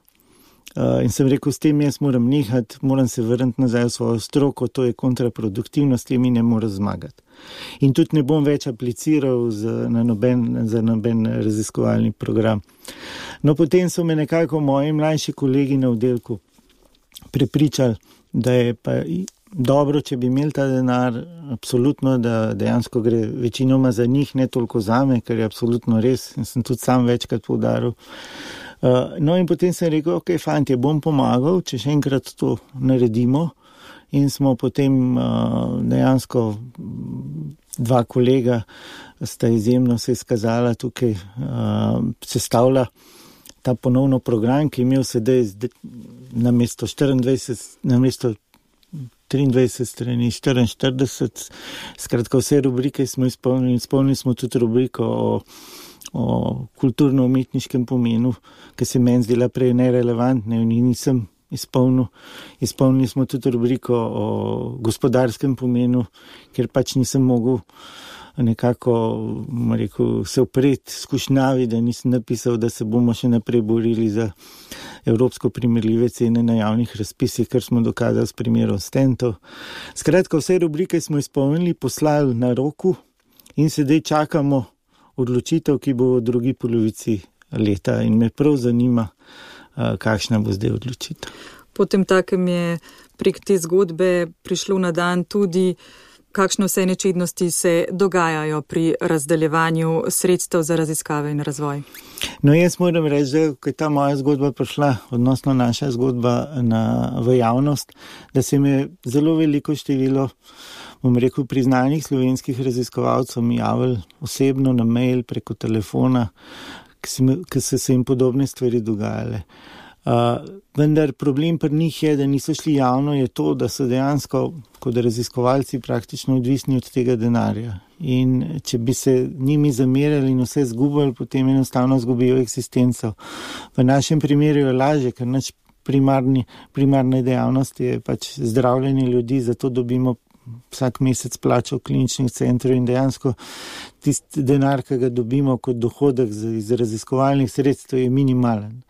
Uh, in sem rekel, s tem jaz moram nehati, moram se vrniti nazaj v svojo stroko, to je kontraproduktivno, s tem in ne moram zmagati. In tudi ne bom več apliciral za, na noben, za noben raziskovalni program. No, potem so me nekako moji mlajši kolegi na oddelku prepričali, da je pa dobro, če bi imeli ta denar, absolutno, da dejansko gre večinoma za njih, ne toliko zame, ker je absolutno res, in sem tudi sam večkrat poudaril. Uh, no in potem sem rekel, ok, fantje, bom pomagal, če še enkrat to naredimo. In smo potem uh, dejansko dva kolega sta izjemno se izkazala tukaj, uh, sestavlja ta ponovno program, ki je imel sedaj na mesto štiriindvajset, na mesto triindvajset strani, štiriinštirideset, skratka vse rubrike smo izpolnili, izpolnili smo tudi rubriko o o kulturno-umetniškem pomenu, ki se meni zdela prej nerelevantne in nisem izpolnil. Izpolnili smo tudi rubriko o gospodarskem pomenu, ker pač nisem mogel nekako rekel, se opreti skušnjavi, da nisem napisal, da se bomo še naprej borili za evropsko primerljive cene na javnih razpisih, kar smo dokazali s primerom stentov. Skratka, vse rubrike smo izpolnili, poslali na roku in sedaj čakamo odločitev, ki bo v drugi polovici leta in me prav zanima, kakšna bo zdaj odločitev. Potem takem je prek te zgodbe prišlo na dan tudi, kakšne vse nečednosti se dogajajo pri razdeljevanju sredstev za raziskave in razvoj. No, jaz moram reči, da ko je ta moja zgodba prišla, odnosno naša zgodba na, v javnost, da se mi zelo veliko število, bom rekel, priznanih slovenskih raziskovalcev mi javili osebno na mail, preko telefona, ki so se jim podobne stvari dogajale. Uh, vendar problem pri njih je, da niso šli javno, je to, da so dejansko kot raziskovalci praktično odvisni od tega denarja. In če bi se njimi zamerali in vse zgubili, potem enostavno zgubijo eksistenco. V našem primeru je lažje, ker naš primarni, primarna dejavnost je pač zdravljenje ljudi, zato dobimo vsak mesec plačo v kliničnih centrov in dejansko tisti denar, ki ga dobimo kot dohodek iz raziskovalnih sredstev, je minimalen.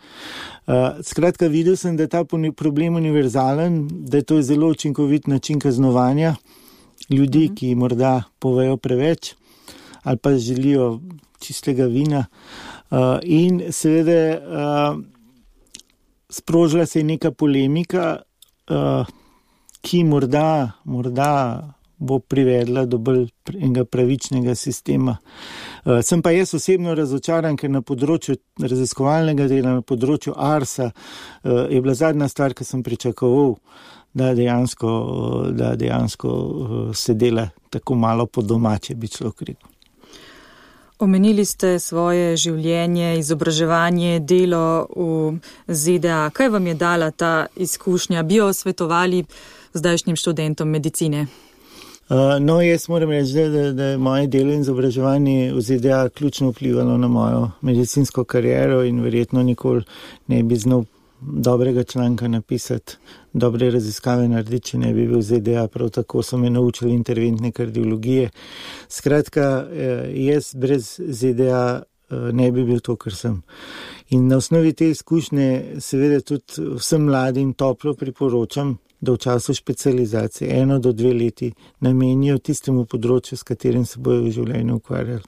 Uh, skratka, videl sem, da je ta problem univerzalen, da je to zelo učinkovit način kaznovanja ljudi, uh-huh. ki morda povejo preveč ali pa želijo čistega vina. Uh, in seveda uh, sprožila se je neka polemika, uh, ki morda, morda bo privedla do bolj enega pravičnega sistema. Uh, sem pa jaz osebno razočaran, ker na področju raziskovalnega dela, na področju Arsa, uh, je bila zadnja stvar, ki sem pričakoval, da dejansko, da dejansko uh, se dela tako malo po domače, bi človek rekel. Omenili ste svoje življenje, izobraževanje, delo v Z D A. Kaj vam je dala ta izkušnja? Bi jo svetovali zdajšnjim študentom medicine? Uh, no, jaz moram reči, da, da je moje delo in izobraževanje v Z D A ključno vplivalo na mojo medicinsko kariero in verjetno nikoli ne bi znal dobrega članka napisati, dobre raziskave narediti, če ne bi bil v Z D A. Prav tako so me naučili interventne kardiologije. Skratka, jaz brez Z D A ne bi bil to, kar sem. In na osnovi te izkušnje seveda tudi vsem mladim toplo priporočam, da v času specializacije eno do dve leti namenijo tistemu področju, s katerim se bojo v življenju ukvarjali.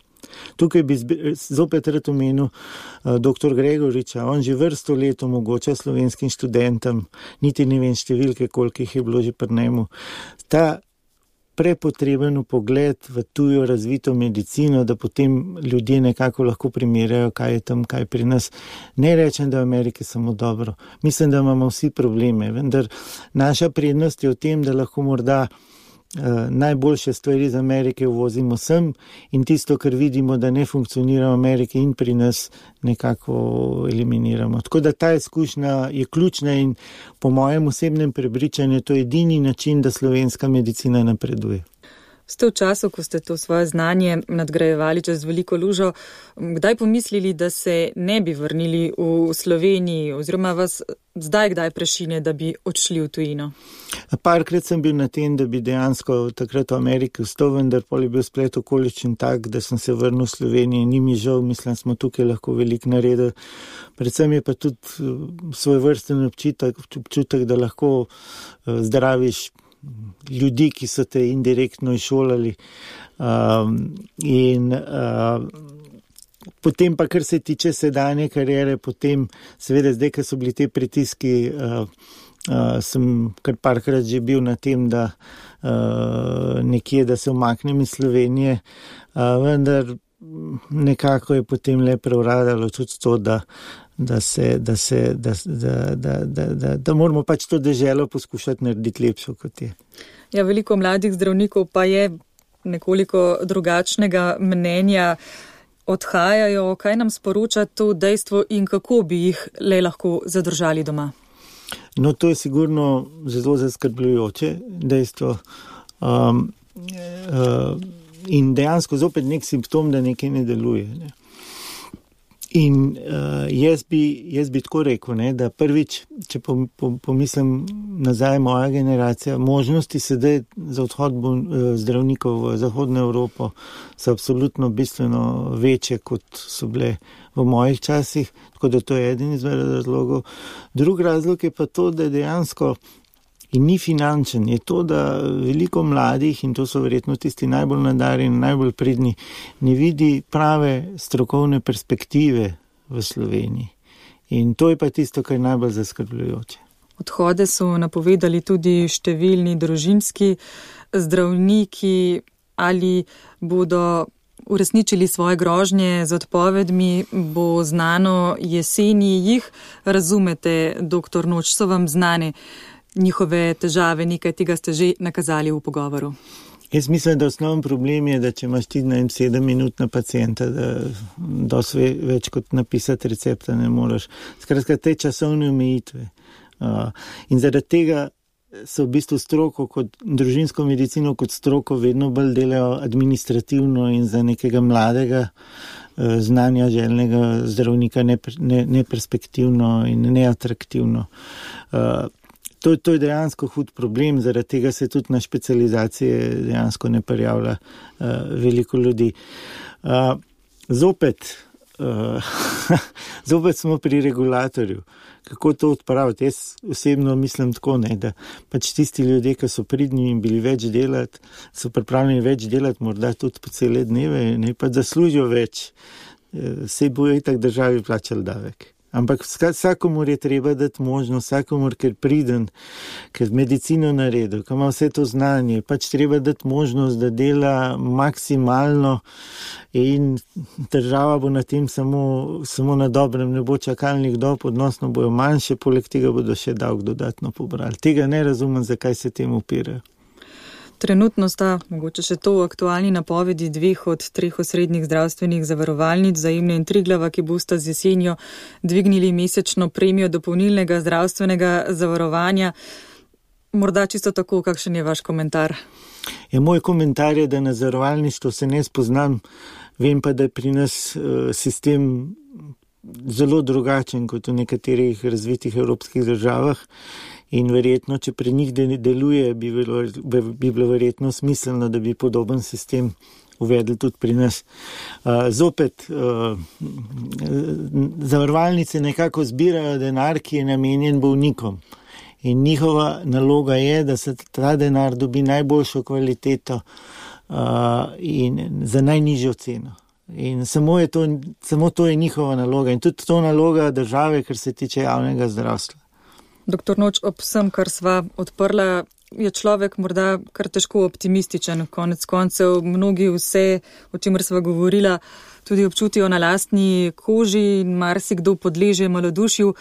Tukaj bi zopet rad omenil uh, doktor Gregoriča, on že vrsto let omogoča slovenskim študentom, niti ne vem številke, koliko jih je bilo že pri njemu, ta prepotreben pogled v tujo razvito medicino, da potem ljudje nekako lahko primerjajo, kaj je tam, kaj pri nas. Ne rečem, da v Ameriki samo dobro. Mislim, da imamo vsi probleme, vendar naša prednost je v tem, da lahko morda Uh, najboljše stvari iz Amerike uvozimo sem in tisto, kar vidimo, da ne funkcionira v Ameriki in pri nas, nekako eliminiramo. Tako da ta izkušnja je ključna in po mojem osebnem prepričanju to je edini način, da slovenska medicina napreduje. Ste v času, ko ste to svoje znanje nadgrajevali čez veliko lužo, kdaj pomislili, da se ne bi vrnili v Sloveniji oziroma vas zdaj kdaj prešine, da bi odšli v tujino? Parkrat sem bil na tem, da bi dejansko takrat v Ameriki vstal, vendar pol je bil splet okoličin tak, da sem se vrnil v Sloveniji. Ni mi žal, mislim, smo tukaj lahko veliko naredili. Predvsem je pa tudi svoj vrsten občutek, občutek, da lahko zdraviš ljudi, ki so te indirektno izšolali. Um, in uh, potem pa, kar se tiče sedanje kariere, potem seveda zdaj, ker so bili te pritiski, uh, uh, sem kar parkrat že bil na tem, da uh, nekje, da se umaknem iz Slovenije, uh, vendar nekako je potem le prevladalo tudi to, da da se, da se, da, da, da, da, da, da moramo pač to deželo poskušati narediti lepšo, kot je. Ja, veliko mladih zdravnikov pa je nekoliko drugačnega mnenja, odhajajo, kaj nam sporoča to dejstvo in kako bi jih le lahko zadržali doma? No, to je sigurno zelo zaskrbljujoče dejstvo. Um, uh, in dejansko zopet nek simptom, da nekaj ne deluje, ne. In uh, jaz, bi, jaz bi tako rekel, ne, da prvič, če pomislim nazaj moja generacija, možnosti sedaj za odhod uh, zdravnikov v Zahodno Evropo so absolutno bistveno večje, kot so bile v mojih časih, tako da to je eden izmed razlogov. Drugi razlog je pa to, da dejansko in ni finančen, je to, da veliko mladih, in to so verjetno tisti najbolj nadarjeni, najbolj pridni, ne vidi prave strokovne perspektive v Sloveniji. In to je pa tisto, kar je najbolj zaskrbljujoče. Odhode so napovedali tudi številni družinski zdravniki, ali bodo uresničili svoje grožnje z odpovedmi, bo znano jeseni. Jih razumete, doktor Noč, so vam znane njihove težave, nekaj tega ste že nakazali v pogovoru? Jaz mislim, da osnoven problem je, da če imaš ti na sedem minut na pacienta, da dosti več kot napisati recepta ne moreš. Skratka, te časovne omejitve. Uh, in zaradi tega so v bistvu stroko kot družinsko medicino kot stroko vedno bolj delajo administrativno in za nekega mladega uh, znanja željnega zdravnika neperspektivno ne, ne in neatraktivno. Uh, To, to je dejansko hud problem, zaradi tega se tudi na specializacije dejansko ne prijavlja uh, veliko ljudi. Uh, zopet, uh, zopet smo pri regulatorju. Kako to odpraviti? Jaz osebno mislim tako, ne, da pač tisti ljudje, ki so pridni in bili več delati, so pripravljeni več delati, morda tudi po cele dneve, ne pa zaslužijo več. Uh, sej bojo itak državi plačali davek. Ampak vsakomur je treba dati možnost, vsakomur, ker priden, ker medicino naredil, ker ima vse to znanje, pač treba dati možnost, da dela maksimalno in država bo na tem samo, samo na dobrem, ne bo čakalnih dob, odnosno bojo manjše, poleg tega bodo še davek dodatno pobrali. Tega ne razumem, zakaj se temu upirajo. Trenutno sta, mogoče še to, aktualni napovedi dveh od treh osrednjih zdravstvenih zavarovalnic, Vzajemne in Triglava, ki bosta z jesenjo dvignili mesečno premijo dopolnilnega zdravstvenega zavarovanja. Morda čisto tako, kakšen je vaš komentar? Ja, moj komentar je, da na zavarovalništvo se ne spoznam, vem pa, da je pri nas uh, sistem zelo drugačen kot v nekaterih razvitih evropskih državah. In verjetno, če pri njih deluje, bi bilo, bi bilo verjetno smiselno, da bi podoben sistem uvedli tudi pri nas. Uh, zopet, uh, zavarovalnice nekako zbirajo denar, ki je namenjen bolnikom. In njihova naloga je, da se ta denar dobi najboljšo kvaliteto uh, in za najnižjo ceno. In samo, je to, samo to je njihova naloga. In tudi to naloga države, kar se tiče javnega zdravstva. Doktor Noč, ob vsem, kar sva odprla, je človek morda kar težko optimističen. Konec koncev mnogi vse, o čemer sva govorila, tudi občutijo na lastni koži in marsikdo podleže malodušju.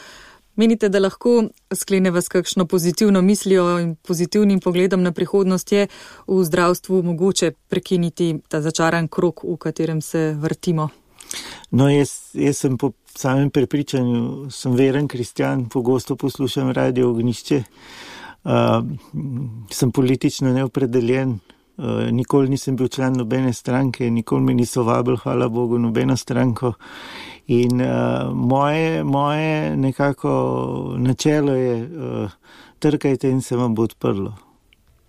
Menite, da lahko skleneva s kakšno pozitivno mislijo in pozitivnim pogledom na prihodnost je v zdravstvu mogoče prekiniti ta začaran krog, v katerem se vrtimo? No, jaz, jaz sem po samem prepričanju, sem veren kristjan, pogosto poslušam Radio Ognjišče, uh, sem politično neopredeljen, uh, nikoli nisem bil član nobene stranke, nikoli me niso vabili, hvala Bogu, nobeno stranko. In uh, moje, moje nekako načelo je, uh, trkajte in se vam bo odprlo.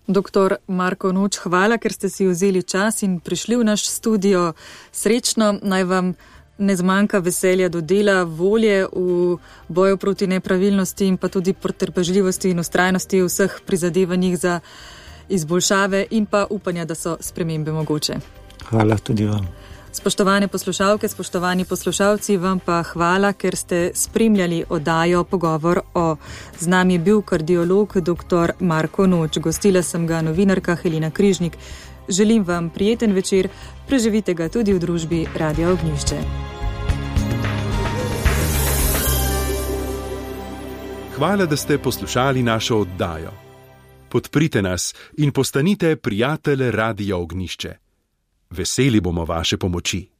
Doktor Marko Noč, hvala, ker ste si vzeli čas in prišli v naš studio. Srečno, naj vam ne zmanjka veselja do dela, volje v boju proti nepravilnosti in pa tudi potrpežljivosti in ustrajnosti v vseh prizadevanjih za izboljšave in pa upanja, da so spremembe mogoče. Hvala tudi vam. Spoštovane poslušalke, spoštovani poslušalci, vam pa hvala, ker ste spremljali oddajo Pogovor o. Z nami je bil kardiolog doktor Marko Noč. Gostila sem ga novinarka Helena Križnik. Želim vam prijeten večer, preživite ga tudi v družbi Radia Ognjišče. Hvala, da ste poslušali našo oddajo. Podprite nas in postanite prijatelj Radia Ognjišče. Veseli bomo vaše pomoči.